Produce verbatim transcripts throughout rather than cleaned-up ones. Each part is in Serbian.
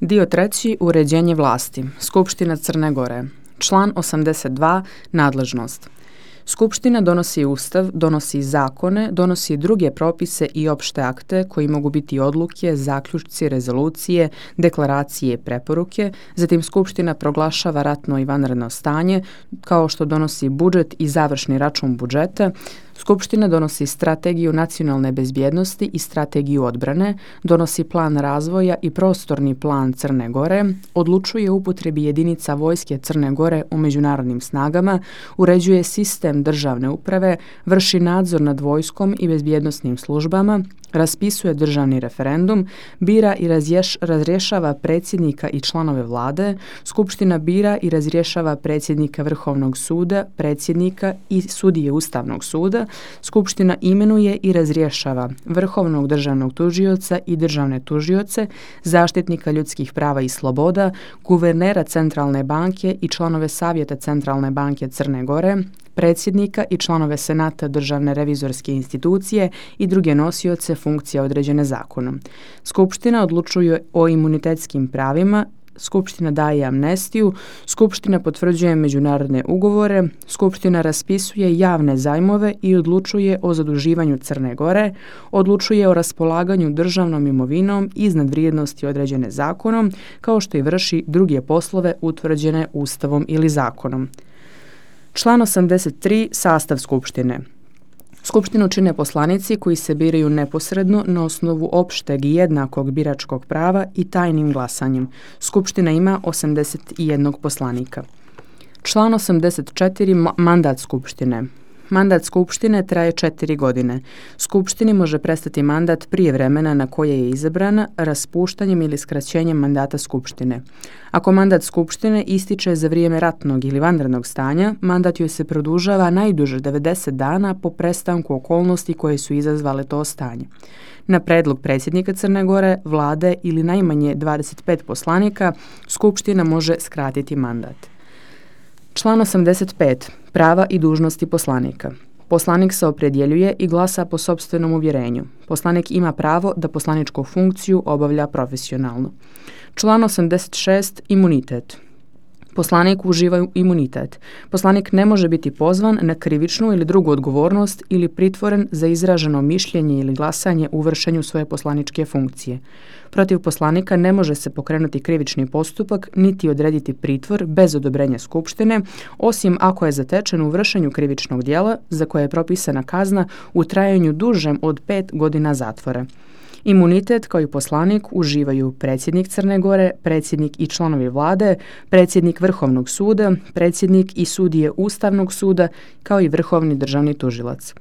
Dio treći. Uređenje vlasti. Skupština Crne Gore. Član osamdeset dva. Nadležnost. Skupština donosi ustav, donosi zakone, donosi druge propise i opšte akte koji mogu biti odluke, zaključci, rezolucije, deklaracije i preporuke. Zatim Skupština proglašava ratno i vanredno stanje, kao što donosi budžet i završni račun budžeta. Skupština donosi strategiju nacionalne bezbjednosti i strategiju odbrane, donosi plan razvoja i prostorni plan Crne Gore, odlučuje o upotrebi jedinica vojske Crne Gore u međunarodnim snagama, uređuje sistem državne uprave, vrši nadzor nad vojskom i bezbjednosnim službama, raspisuje državni referendum, bira i razješ, razrješava predsjednika i članove vlade, Skupština bira i razrješava predsjednika Vrhovnog suda, predsjednika i sudije Ustavnog suda, Skupština imenuje i razrješava Vrhovnog državnog tužioca i državne tužioce, zaštitnika ljudskih prava i sloboda, guvernera Centralne banke i članove Savjeta Centralne banke Crne Gore, predsjednika i članove Senata Državne revizorske institucije i druge nosioce funkcija određene zakonom. Skupština odlučuje o imunitetskim pravima, Skupština daje amnestiju, Skupština potvrđuje međunarodne ugovore, Skupština raspisuje javne zajmove i odlučuje o zaduživanju Crne Gore, odlučuje o raspolaganju državnom imovinom iznad vrijednosti određene zakonom, kao što i vrši druge poslove utvrđene Ustavom ili zakonom. Član osamdeset tri. Sastav Skupštine. Skupštinu čine poslanici koji se biraju neposredno na osnovu opšteg i jednakog biračkog prava i tajnim glasanjem. Skupština ima osamdeset jednog poslanika. Član osamdeset četiri. Mandat Skupštine. Mandat Skupštine traje četiri godine. Skupštini može prestati mandat prije vremena na koje je izabrana raspuštanjem ili skraćenjem mandata Skupštine. Ako mandat Skupštine ističe za vrijeme ratnog ili vanrednog stanja, mandat joj se produžava najduže devedeset dana po prestanku okolnosti koje su izazvale to stanje. Na predlog predsjednika Crne Gore, vlade ili najmanje dvadeset pet poslanika, Skupština može skratiti mandat. Član osamdeset pet. Prava i dužnosti poslanika. Poslanik se opredjeljuje i glasa po sopstvenom uvjerenju. Poslanik ima pravo da poslaničku funkciju obavlja profesionalno. Član osamdeset šest. Imunitet. Poslanik uživa imunitet. Poslanik ne može biti pozvan na krivičnu ili drugu odgovornost ili pritvoren za izraženo mišljenje ili glasanje u vršenju svoje poslaničke funkcije. Protiv poslanika ne može se pokrenuti krivični postupak niti odrediti pritvor bez odobrenja Skupštine, osim ako je zatečen u vršenju krivičnog djela za koje je propisana kazna u trajanju dužem od pet godina zatvora. Imunitet kao i poslanik uživaju predsjednik Crne Gore, predsjednik i članovi vlade, predsjednik Vrhovnog suda, predsjednik i sudije Ustavnog suda, kao i vrhovni državni tužilac.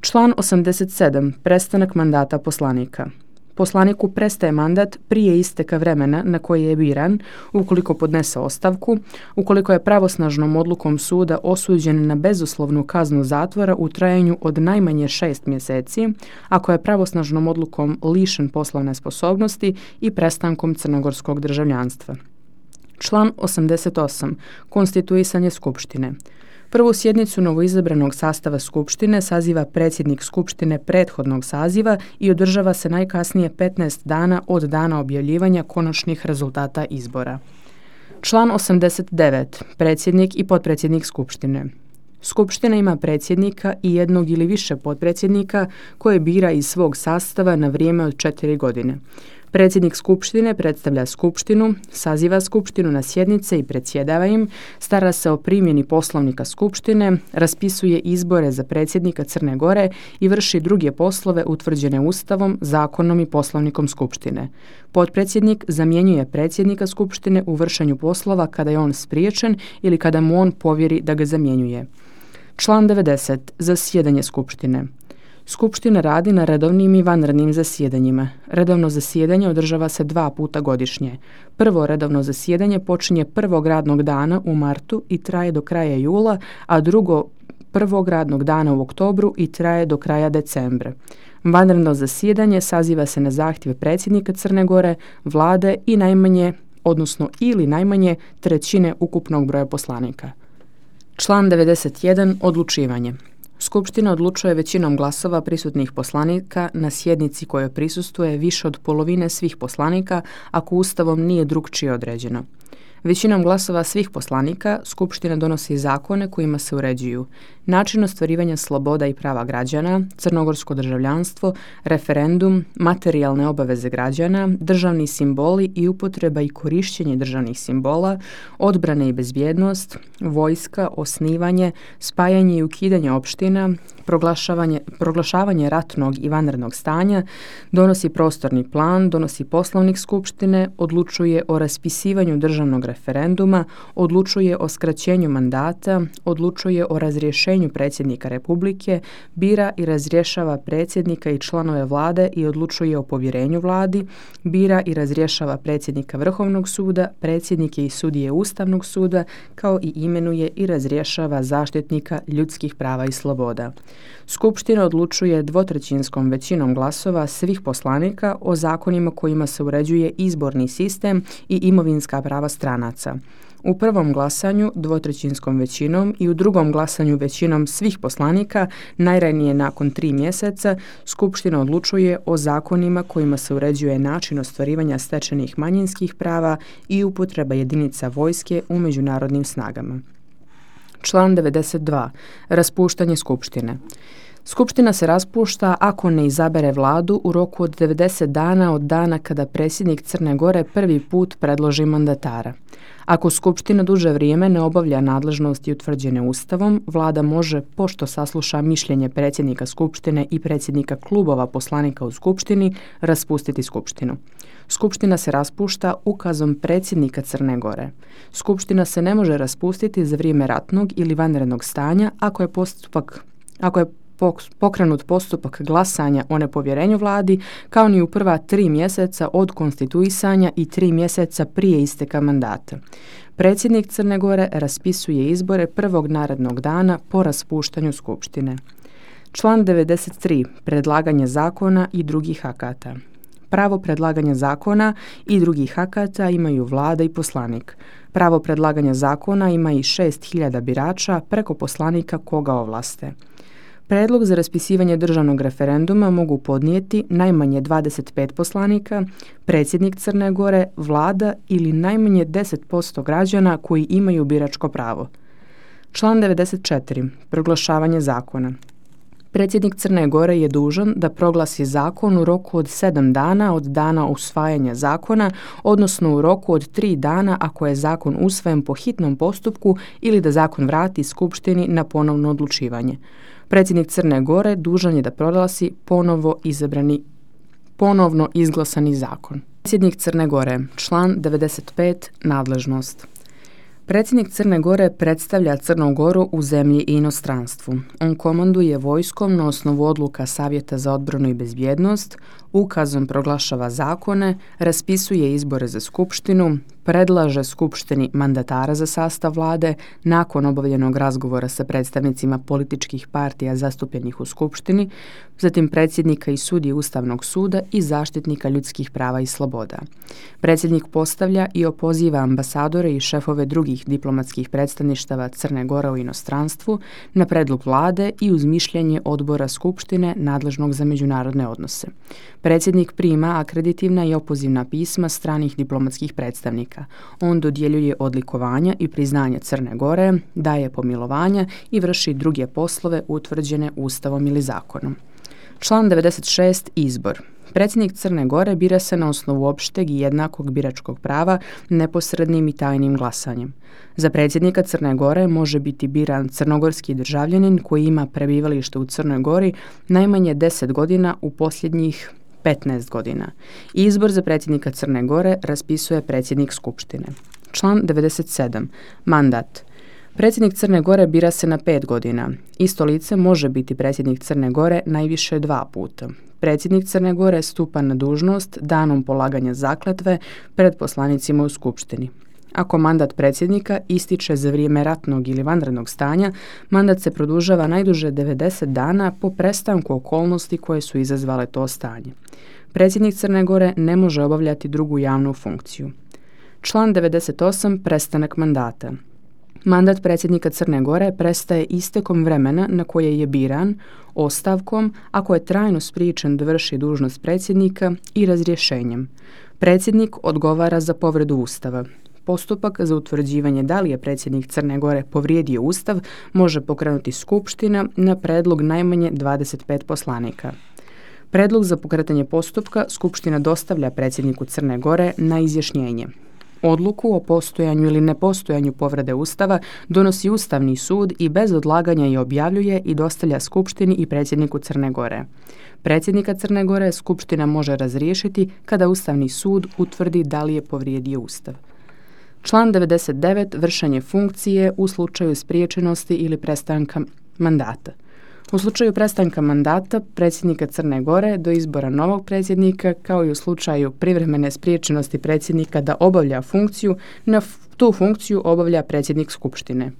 Član osamdeset sedam. Prestanak mandata poslanika. Poslaniku prestaje mandat prije isteka vremena na koje je biran, ukoliko podnese ostavku, ukoliko je pravosnažnom odlukom suda osuđen na bezuslovnu kaznu zatvora u trajanju od najmanje šest mjeseci, ako je pravosnažnom odlukom lišen poslovne sposobnosti i prestankom crnogorskog državljanstva. Član osamdeset osam. Konstituisanje Skupštine. Prvu sjednicu novoizabranog sastava Skupštine saziva predsjednik Skupštine prethodnog saziva i održava se najkasnije petnaest dana od dana objavljivanja konačnih rezultata izbora. Član osamdeset devet. Predsjednik i potpredsjednik Skupštine. Skupština ima predsjednika i jednog ili više potpredsjednika koje bira iz svog sastava na vrijeme od četiri godine. Predsjednik Skupštine predstavlja Skupštinu, saziva Skupštinu na sjednice i predsjedava im, stara se o primjeni poslovnika Skupštine, raspisuje izbore za predsjednika Crne Gore i vrši druge poslove utvrđene Ustavom, zakonom i poslovnikom Skupštine. Potpredsjednik zamjenjuje predsjednika Skupštine u vršenju poslova kada je on spriječen ili kada mu on povjeri da ga zamjenjuje. Član devedeset. Zasjedanje Skupštine. Skupština radi na redovnim i vanrednim zasjedanjima. Redovno zasjedanje održava se dva puta godišnje. Prvo redovno zasjedanje počinje prvog radnog dana u martu i traje do kraja jula, a drugo prvog radnog dana u oktobru i traje do kraja decembra. Vanredno zasjedanje saziva se na zahtjev predsjednika Crne Gore, vlade i najmanje, odnosno ili najmanje trećine ukupnog broja poslanika. Član devedeset jedan. Odlučivanje. Skupština odlučuje većinom glasova prisutnih poslanika na sjednici kojoj prisustvuje više od polovine svih poslanika ako Ustavom nije drukčije određeno. Većinom glasova svih poslanika Skupština donosi zakone kojima se uređuju način ostvarivanja sloboda i prava građana, crnogorsko državljanstvo, referendum, materijalne obaveze građana, državni simboli i upotreba i korištenje državnih simbola, odbrane i bezbjednost, vojska, osnivanje, spajanje i ukidanje opština, proglašavanje, proglašavanje ratnog i vanrednog stanja, donosi prostorni plan, donosi poslovnik Skupštine, odlučuje o raspisivanju državnog referenduma, odlučuje o skraćenju mandata, odlučuje o razrješenju predsjednika Republike, bira i razrješava predsjednika i članove vlade i odlučuje o povjerenju vladi, bira i razrješava predsjednika Vrhovnog suda, predsjednike i sudije Ustavnog suda, kao i imenuje i razrješava zaštitnika ljudskih prava i sloboda. Skupština odlučuje dvotrećinskom većinom glasova svih poslanika o zakonima kojima se uređuje izborni sistem i imovinska prava stranaca. U prvom glasanju dvotrećinskom većinom i u drugom glasanju većinom svih poslanika, najranije nakon tri mjeseca, Skupština odlučuje o zakonima kojima se uređuje način ostvarivanja stečenih manjinskih prava i upotreba jedinica vojske u međunarodnim snagama. Član devedeset dva. Raspuštanje Skupštine. Skupština se raspušta ako ne izabere vladu u roku od devedeset dana od dana kada predsjednik Crne Gore prvi put predloži mandatara. Ako Skupština duže vrijeme ne obavlja nadležnosti utvrđene Ustavom, vlada može, pošto sasluša mišljenje predsjednika Skupštine i predsjednika klubova poslanika u Skupštini, raspustiti Skupštinu. Skupština se raspušta ukazom predsjednika Crne Gore. Skupština se ne može raspustiti za vrijeme ratnog ili vanrednog stanja ako je postupak, ako je pokrenut postupak glasanja o nepovjerenju vladi, kao ni u prva tri mjeseca od konstituisanja i tri mjeseca prije isteka mandata. Predsjednik Crne Gore raspisuje izbore prvog narednog dana po raspuštanju Skupštine. Član devedeset tri. Predlaganje zakona i drugih akata. Pravo predlaganja zakona i drugih akata imaju vlada i poslanik. Pravo predlaganja zakona ima i šest hiljada birača preko poslanika koga ovlaste. Predlog za raspisivanje državnog referenduma mogu podnijeti najmanje dvadeset pet poslanika, predsjednik Crne Gore, vlada ili najmanje deset posto građana koji imaju biračko pravo. Član devedeset četiri. Proglašavanje zakona. Predsjednik Crne Gore je dužan da proglasi zakon u roku od sedam dana od dana usvajanja zakona, odnosno u roku od tri dana ako je zakon usvojen po hitnom postupku ili da zakon vrati Skupštini na ponovno odlučivanje. Predsjednik Crne Gore dužan je da proglasi ponovo izabrani, ponovno izglasani zakon. Predsjednik Crne Gore, član devedeset pet, nadležnost. Predsjednik Crne Gore predstavlja Crnu Goru u zemlji i inostranstvu. On komanduje vojskom na osnovu odluka Savjeta za odbranu i bezbjednost, ukazom proglašava zakone, raspisuje izbore za Skupštinu, predlaže Skupštini mandatara za sastav vlade nakon obavljenog razgovora sa predstavnicima političkih partija zastupljenih u Skupštini, zatim predsjednika i sudije Ustavnog suda i zaštitnika ljudskih prava i sloboda. Predsjednik postavlja i opoziva ambasadore i šefove drugih diplomatskih predstavništava Crne Gore u inostranstvu na predlog vlade i uz mišljenje odbora Skupštine nadležnog za međunarodne odnose. Predsjednik prima akreditivna i opozivna pisma stranih diplomatskih predstavnika. On dodjeljuje odlikovanja i priznanja Crne Gore, daje pomilovanja i vrši druge poslove utvrđene Ustavom ili zakonom. Član devedeset šest. Izbor. Predsjednik Crne Gore bira se na osnovu opšteg i jednakog biračkog prava neposrednim i tajnim glasanjem. Za predsjednika Crne Gore može biti biran crnogorski državljanin koji ima prebivalište u Crnoj Gori najmanje deset godina u posljednjih petnaest godina. Izbor za predsjednika Crne Gore raspisuje predsjednik Skupštine. Član devedeset sedam. Mandat. Predsjednik Crne Gore bira se na pet godina. Isto lice može biti predsjednik Crne Gore najviše dva puta. Predsjednik Crne Gore stupa na dužnost danom polaganja zakletve pred poslanicima u Skupštini. Ako mandat predsjednika ističe za vrijeme ratnog ili vanrednog stanja, mandat se produžava najduže devedeset dana po prestanku okolnosti koje su izazvale to stanje. Predsjednik Crne Gore ne može obavljati drugu javnu funkciju. Član devedeset osam. Prestanak mandata. Mandat predsjednika Crne Gore prestaje istekom vremena na koje je biran, ostavkom ako je trajno spriječen da vrši dužnost predsjednika i razrješenjem. Predsjednik odgovara za povredu Ustava. Postupak za utvrđivanje da li je predsjednik Crne Gore povrijedio Ustav može pokrenuti skupština na predlog najmanje dvadeset pet poslanika. Predlog za pokretanje postupka skupština dostavlja predsjedniku Crne Gore na izjašnjenje. Odluku o postojanju ili nepostojanju povrede Ustava donosi Ustavni sud i bez odlaganja je objavljuje i dostavlja skupštini i predsjedniku Crne Gore. Predsjednika Crne Gore skupština može razriješiti kada Ustavni sud utvrdi da li je povrijedio Ustav. Član devedeset devet. Vršenje funkcije u slučaju spriječenosti ili prestanka mandata. U slučaju prestanka mandata predsjednika Crne Gore do izbora novog predsjednika, kao i u slučaju privremene spriječenosti predsjednika da obavlja funkciju, na tu funkciju obavlja predsjednik skupštine.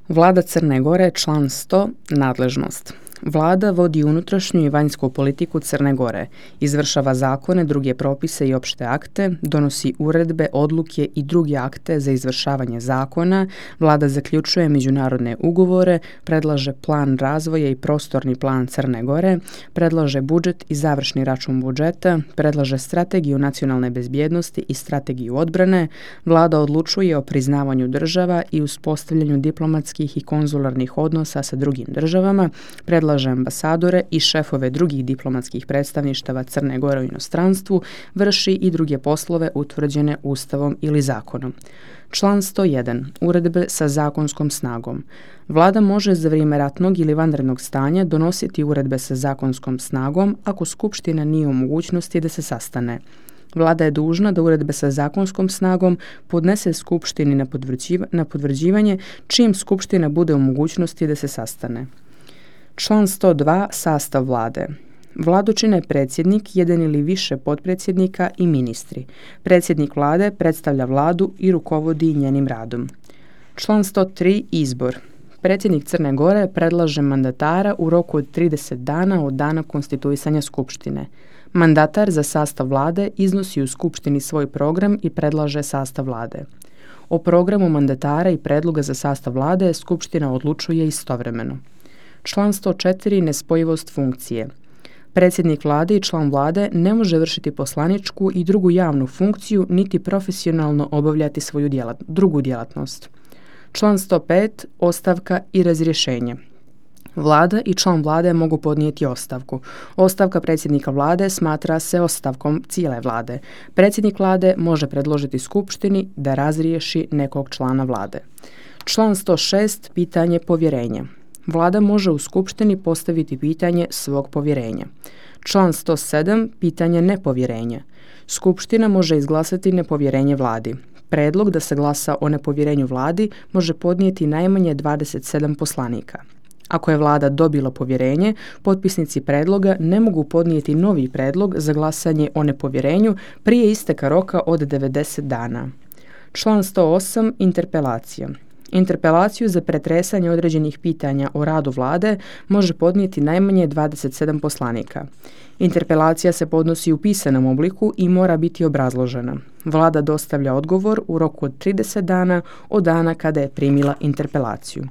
Vlada Crne Gore, član sto. Nadležnost. Vlada vodi unutrašnju i vanjsku politiku Crne Gore, izvršava zakone, druge propise i opšte akte, donosi uredbe, odluke i druge akte za izvršavanje zakona, vlada zaključuje međunarodne ugovore, predlaže plan razvoja i prostorni plan Crne Gore, predlaže budžet i završni račun budžeta, predlaže strategiju nacionalne bezbjednosti i strategiju odbrane, vlada odlučuje o priznavanju država i uspostavljanju diplomatskih i konzularnih odnosa sa drugim državama, predlaže predlaže ambasadore i šefove drugih diplomatskih predstavništava Crne Gore u inostranstvu, vrši i druge poslove utvrđene Ustavom ili zakonom. Član sto jedan. Uredbe sa zakonskom snagom. Vlada može za vrijeme ratnog ili vanrednog stanja donositi uredbe sa zakonskom snagom ako skupština nije u mogućnosti da se sastane. Vlada je dužna da uredbe sa zakonskom snagom podnese skupštini na, podvrđiva, na potvrđivanje čim skupština bude u mogućnosti da se sastane. Član sto dva. Sastav vlade. Vladu čine predsjednik, jedan ili više potpredsjednika i ministri. Predsjednik vlade predstavlja vladu i rukovodi njenim radom. Član sto tri. Izbor. Predsjednik Crne Gore predlaže mandatara u roku od trideset dana od dana konstituisanja skupštine. Mandatar za sastav vlade iznosi u skupštini svoj program i predlaže sastav vlade. O programu mandatara i predloga za sastav vlade skupština odlučuje istovremeno. Član sto četiri. Nespojivost funkcije. Predsjednik vlade i član vlade ne može vršiti poslaničku i drugu javnu funkciju niti profesionalno obavljati svoju djelat, drugu djelatnost. Član sto pet. Ostavka i razrješenje. Vlada i član vlade mogu podnijeti ostavku. Ostavka predsjednika vlade smatra se ostavkom cijele vlade. Predsjednik vlade može predložiti skupštini da razriješi nekog člana vlade. Član sto šest. Pitanje povjerenja. Vlada može u skupštini postaviti pitanje svog povjerenja. Član sto sedam. Pitanje nepovjerenja. Skupština može izglasati nepovjerenje vladi. Predlog da se glasa o nepovjerenju vladi može podnijeti najmanje dvadeset sedam poslanika. Ako je vlada dobila povjerenje, potpisnici predloga ne mogu podnijeti novi predlog za glasanje o nepovjerenju prije isteka roka od devedeset dana. Član sto osam. Interpelacija. Interpelaciju za pretresanje određenih pitanja o radu vlade može podnijeti najmanje dvadeset sedam poslanika. Interpelacija se podnosi u pisanom obliku i mora biti obrazložena. Vlada dostavlja odgovor u roku od trideset dana od dana kada je primila interpelaciju.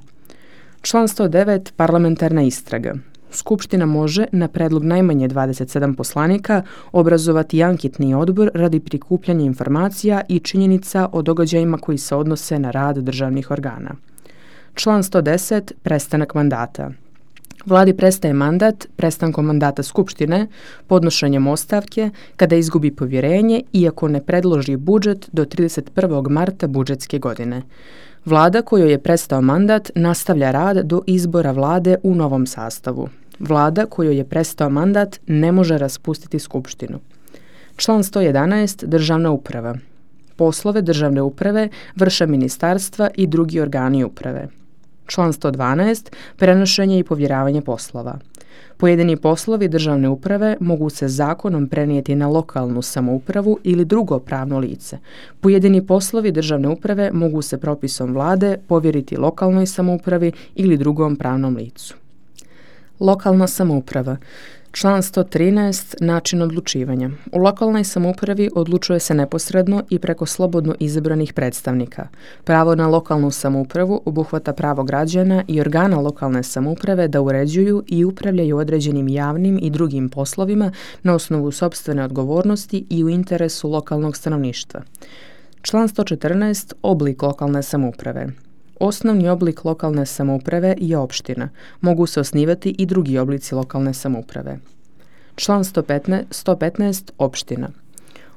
Član sto devet. Parlamentarna istraga. Skupština može, na predlog najmanje dvadeset sedam poslanika, obrazovati anketni odbor radi prikupljanja informacija i činjenica o događajima koji se odnose na rad državnih organa. Član sto deset. Prestanak mandata. Vladi prestaje mandat prestankom mandata skupštine, podnošenjem ostavke, kada izgubi povjerenje i ako ne predloži budžet do trideset prvog marta budžetske godine. Vlada kojoj je prestao mandat nastavlja rad do izbora vlade u novom sastavu. Vlada kojoj je prestao mandat ne može raspustiti skupštinu. Član sto jedanaest. Državna uprava. Poslove državne uprave vrše ministarstva i drugi organi uprave. Član sto dvanaest. Prenošenje i povjeravanje poslova. Pojedini poslovi državne uprave mogu se zakonom prenijeti na lokalnu samoupravu ili drugo pravno lice. Pojedini poslovi državne uprave mogu se propisom vlade povjeriti lokalnoj samoupravi ili drugom pravnom licu. Lokalna samouprava. Član sto trinaest. Način odlučivanja. U lokalnoj samoupravi odlučuje se neposredno i preko slobodno izabranih predstavnika. Pravo na lokalnu samoupravu obuhvata pravo građana i organa lokalne samouprave da uređuju i upravljaju određenim javnim i drugim poslovima na osnovu sopstvene odgovornosti i u interesu lokalnog stanovništva. Član sto četrnaest. Oblik lokalne samouprave. Osnovni oblik lokalne samouprave je opština. Mogu se osnivati i drugi oblici lokalne samouprave. Član sto petnaest. Opština.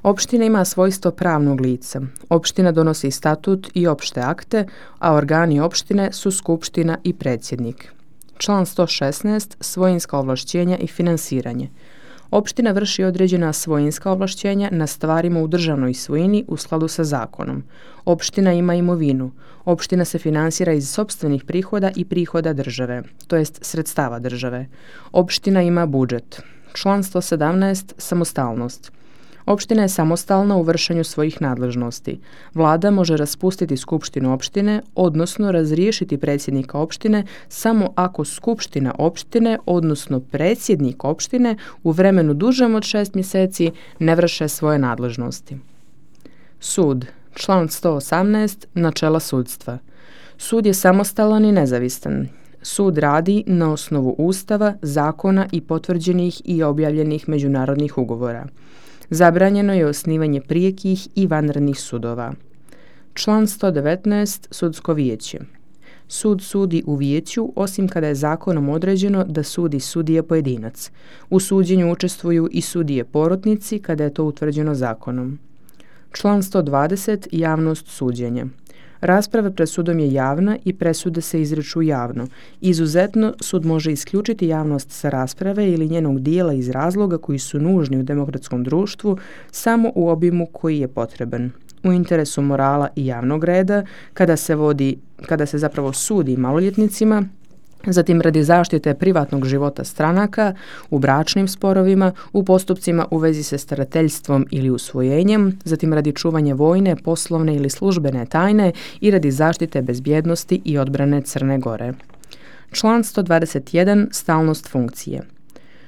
Opština ima svojstvo pravnog lica. Opština donosi statut i opšte akte, a organi opštine su skupština i predsjednik. Član sto šesnaest. Svojinska ovlašćenja i finansiranje. Opština vrši određena svojinska ovlašćenja na stvarima u državnoj svojini u skladu sa zakonom. Opština ima imovinu. Opština se finansira iz sopstvenih prihoda i prihoda države, to jest sredstava države. Opština ima budžet. Član sto sedamnaest. Samostalnost. Opština je samostalna u vršenju svojih nadležnosti. Vlada može raspustiti skupštinu opštine, odnosno razriješiti predsjednika opštine samo ako skupština opštine, odnosno predsjednik opštine, u vremenu dužem od šest mjeseci ne vrše svoje nadležnosti. Sud. Član sto osamnaest. Načela sudstva. Sud je samostalan i nezavisan. Sud radi na osnovu Ustava, zakona i potvrđenih i objavljenih međunarodnih ugovora. Zabranjeno je osnivanje prijekih i vanrednih sudova. Član sto devetnaest. Sudsko vijeće. Sud sudi u vijeću osim kada je zakonom određeno da sudi sudija pojedinac. U suđenju učestvuju i sudije porotnici kada je to utvrđeno zakonom. Član sto dvadeset. Javnost suđenja. Rasprava pred sudom je javna i presude se izriču javno. Izuzetno, sud može isključiti javnost sa rasprave ili njenog dijela iz razloga koji su nužni u demokratskom društvu samo u obimu koji je potreban. U interesu morala i javnog reda, kada se vodi, kada se zapravo sudi maloljetnicima, zatim radi zaštite privatnog života stranaka, u bračnim sporovima, u postupcima u vezi sa starateljstvom ili usvojenjem, zatim radi čuvanja vojne, poslovne ili službene tajne i radi zaštite bezbjednosti i odbrane Crne Gore. Član sto dvadeset jedan. Stalnost funkcije.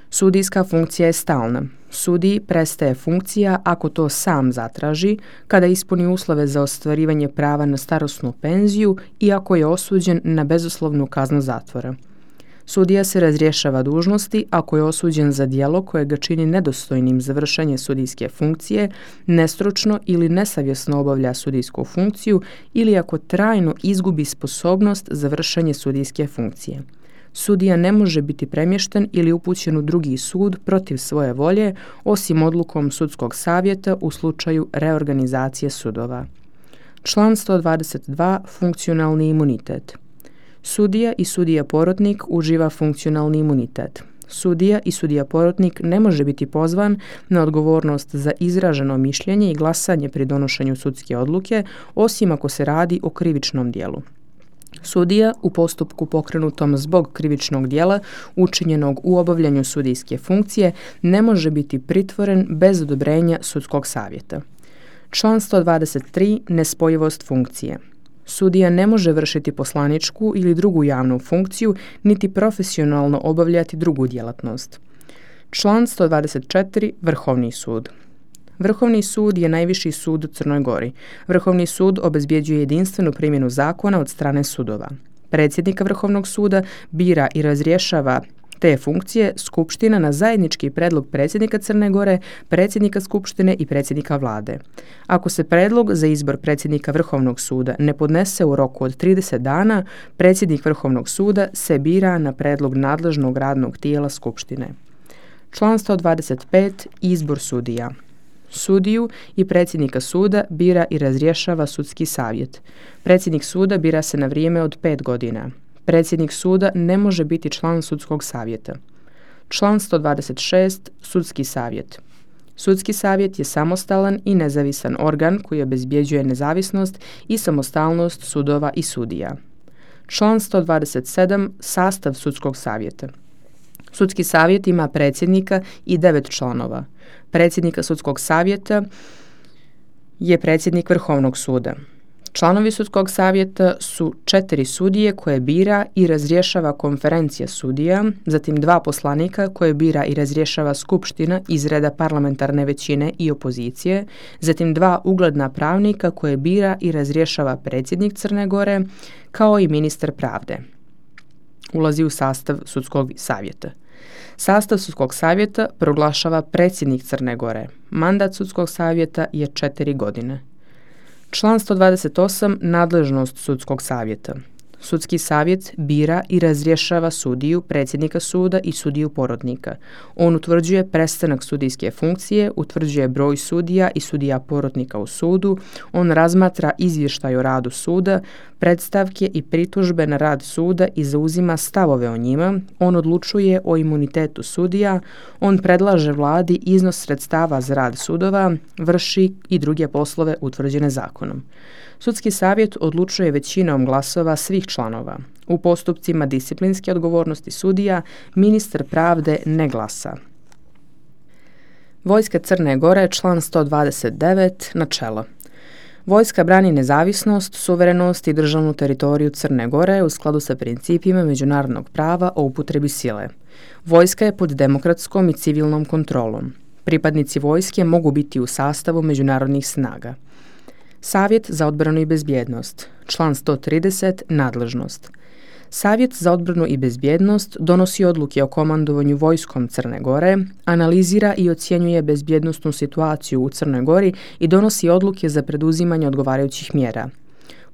Sudijska funkcija je stalna. Sudiji prestaje funkcija ako to sam zatraži, kada ispuni uslove za ostvarivanje prava na starosnu penziju i ako je osuđen na bezuslovnu kaznu zatvora. Sudija se razrješava dužnosti ako je osuđen za djelo koje ga čini nedostojnim za vršenje sudijske funkcije, nestručno ili nesavjesno obavlja sudijsku funkciju ili ako trajno izgubi sposobnost za vršenje sudijske funkcije. Sudija ne može biti premješten ili upućen u drugi sud protiv svoje volje, osim odlukom sudskog savjeta u slučaju reorganizacije sudova. Član sto dvadeset dva. Funkcionalni imunitet. Sudija i sudija porotnik uživa funkcionalni imunitet. Sudija i sudija porotnik ne može biti pozvan na odgovornost za izraženo mišljenje i glasanje pri donošenju sudske odluke, osim ako se radi o krivičnom djelu. Sudija u postupku pokrenutom zbog krivičnog djela učinjenog u obavljanju sudijske funkcije ne može biti pritvoren bez odobrenja sudskog savjeta. Član sto dvadeset tri. Nespojivost funkcije. Sudija ne može vršiti poslaničku ili drugu javnu funkciju niti profesionalno obavljati drugu djelatnost. Član sto dvadeset četiri. Vrhovni sud. Vrhovni sud je najviši sud u Crnoj Gori. Vrhovni sud obezbjeđuje jedinstvenu primjenu zakona od strane sudova. Predsjednika Vrhovnog suda bira i razrješava te funkcije Skupština na zajednički predlog predsjednika Crne Gore, predsjednika Skupštine i predsjednika vlade. Ako se predlog za izbor predsjednika Vrhovnog suda ne podnese u roku od trideset dana, predsjednik Vrhovnog suda se bira na predlog nadležnog radnog tijela Skupštine. Član sto dvadeset pet. Izbor sudija. Sudiju i predsjednika suda bira i razrješava sudski savjet. Predsjednik suda bira se na vrijeme od pet godina. Predsjednik suda ne može biti član sudskog savjeta. Član sto dvadeset šest. Sudski savjet. Sudski savjet je samostalan i nezavisan organ koji obezbjeđuje nezavisnost i samostalnost sudova i sudija. Član sto dvadeset sedam. Sastav sudskog savjeta. Sudski savjet ima predsjednika i devet članova. Predsjednika sudskog savjeta je predsjednik Vrhovnog suda. Članovi sudskog savjeta su četiri sudije koje bira i razrješava konferencija sudija, zatim dva poslanika koje bira i razrješava skupština iz reda parlamentarne većine i opozicije, zatim dva ugledna pravnika koje bira i razrješava predsjednik Crne Gore, kao i ministar pravde. Ulazi u sastav sudskog savjeta. Sastav sudskog savjeta proglašava predsjednik Crne Gore. Mandat sudskog savjeta je četiri godine. Član sto dvadeset osam. Nadležnost sudskog savjeta. Sudski savjet bira i razrješava sudiju, predsjednika suda i sudiju porotnika. On utvrđuje prestanak sudijske funkcije, utvrđuje broj sudija i sudija porotnika u sudu, on razmatra izvještaj o radu suda, predstavke i pritužbe na rad suda i zauzima stavove o njima, on odlučuje o imunitetu sudija, on predlaže vladi iznos sredstava za rad sudova, vrši i druge poslove utvrđene zakonom. Sudski savjet odlučuje većinom glasova svih članova. U postupcima disciplinske odgovornosti sudija ministar pravde ne glasa. Vojska Crne Gore, član sto dvadeset devet. Načelo. Vojska brani nezavisnost, suverenost i državnu teritoriju Crne Gore u skladu sa principima međunarodnog prava o upotrebi sile. Vojska je pod demokratskom i civilnom kontrolom. Pripadnici vojske mogu biti u sastavu međunarodnih snaga. Savjet za odbranu i bezbjednost. Član sto trideset. Nadležnost. Savjet za odbranu i bezbjednost donosi odluke o komandovanju vojskom Crne Gore, analizira i ocjenjuje bezbjednosnu situaciju u Crnoj Gori i donosi odluke za preduzimanje odgovarajućih mjera.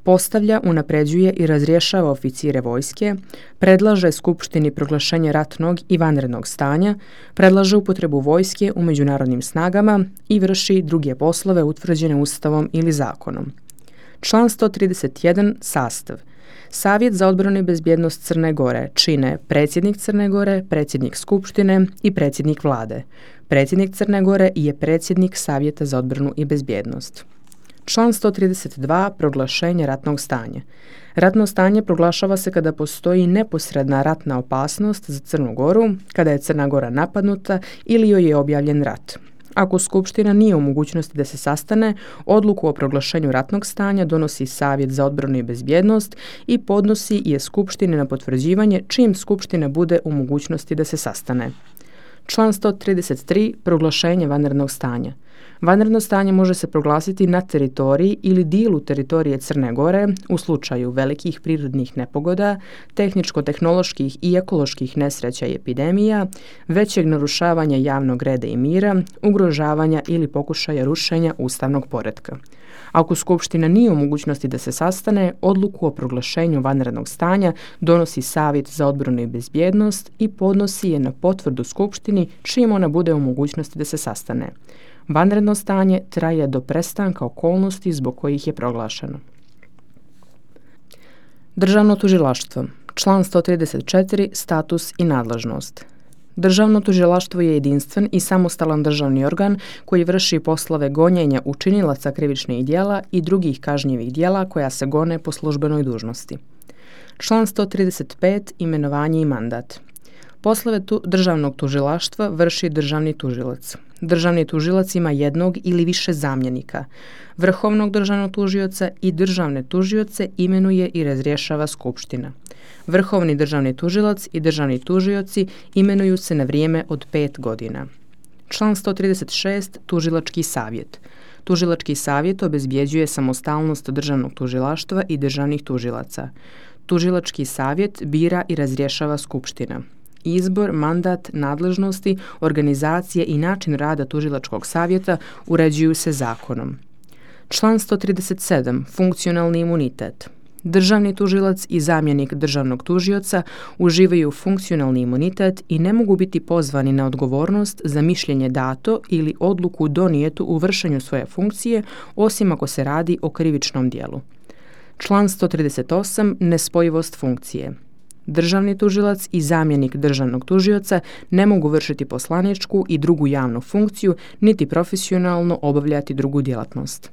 Postavlja, unapređuje i razrješava oficire vojske, predlaže skupštini proglašenje ratnog i vanrednog stanja, predlaže upotrebu vojske u međunarodnim snagama i vrši druge poslove utvrđene Ustavom ili zakonom. Član sto trideset jedan. Sastav. Savjet za odbranu i bezbjednost Crne Gore čine predsjednik Crne Gore, predsjednik skupštine i predsjednik vlade. Predsjednik Crne Gore je predsjednik Savjeta za odbranu i bezbjednost. Član sto trideset dva. Proglašenje ratnog stanja. Ratno stanje proglašava se kada postoji neposredna ratna opasnost za Crnu Goru, kada je Crna Gora napadnuta ili joj je objavljen rat. Ako skupština nije u mogućnosti da se sastane, odluku o proglašenju ratnog stanja donosi Savjet za odbranu i bezbjednost i podnosi je skupštini na potvrđivanje čim skupština bude u mogućnosti da se sastane. Član sto trideset tri. Proglašenje vanrednog stanja. Vanredno stanje može se proglasiti na teritoriji ili dijelu teritorije Crne Gore u slučaju velikih prirodnih nepogoda, tehničko-tehnoloških i ekoloških nesreća i epidemija, većeg narušavanja javnog reda i mira, ugrožavanja ili pokušaja rušenja ustavnog poretka. Ako skupština nije u mogućnosti da se sastane, odluku o proglašenju vanrednog stanja donosi Savjet za odbranu i bezbjednost i podnosi je na potvrdu skupštini čim ona bude u mogućnosti da se sastane. Vanredno stanje traje do prestanka okolnosti zbog kojih je proglašeno. Državno tužilaštvo. Član sto trideset četiri. Status i nadležnost. Državno tužilaštvo je jedinstven i samostalan državni organ koji vrši poslove gonjenja učinilaca krivičnih djela i drugih kažnjivih djela koja se gone po službenoj dužnosti. Član sto trideset pet. Imenovanje i mandat. Poslove tu državnog tužilaštva vrši državni tužilac. Državni tužilac ima jednog ili više zamjenika. Vrhovnog državnog tužioca i državne tužioce imenuje i razrješava skupština. Vrhovni državni tužilac i državni tužioci imenuju se na vrijeme od pet godina. Član sto trideset šest. Tužilački savjet. Tužilački savjet obezbjeđuje samostalnost državnog tužilaštva i državnih tužilaca. Tužilački savjet bira i razrješava skupština. Izbor, mandat, nadležnosti, organizacije i način rada tužilačkog savjeta uređuju se zakonom. Član sto trideset sedam. Funkcionalni imunitet. Državni tužilac i zamjenik državnog tužioca uživaju funkcionalni imunitet i ne mogu biti pozvani na odgovornost za mišljenje dato ili odluku donijetu u vršenju svoje funkcije, osim ako se radi o krivičnom djelu. Član sto trideset osam. Nespojivost funkcije. Državni tužilac i zamjenik državnog tužioca ne mogu vršiti poslaničku i drugu javnu funkciju, niti profesionalno obavljati drugu djelatnost.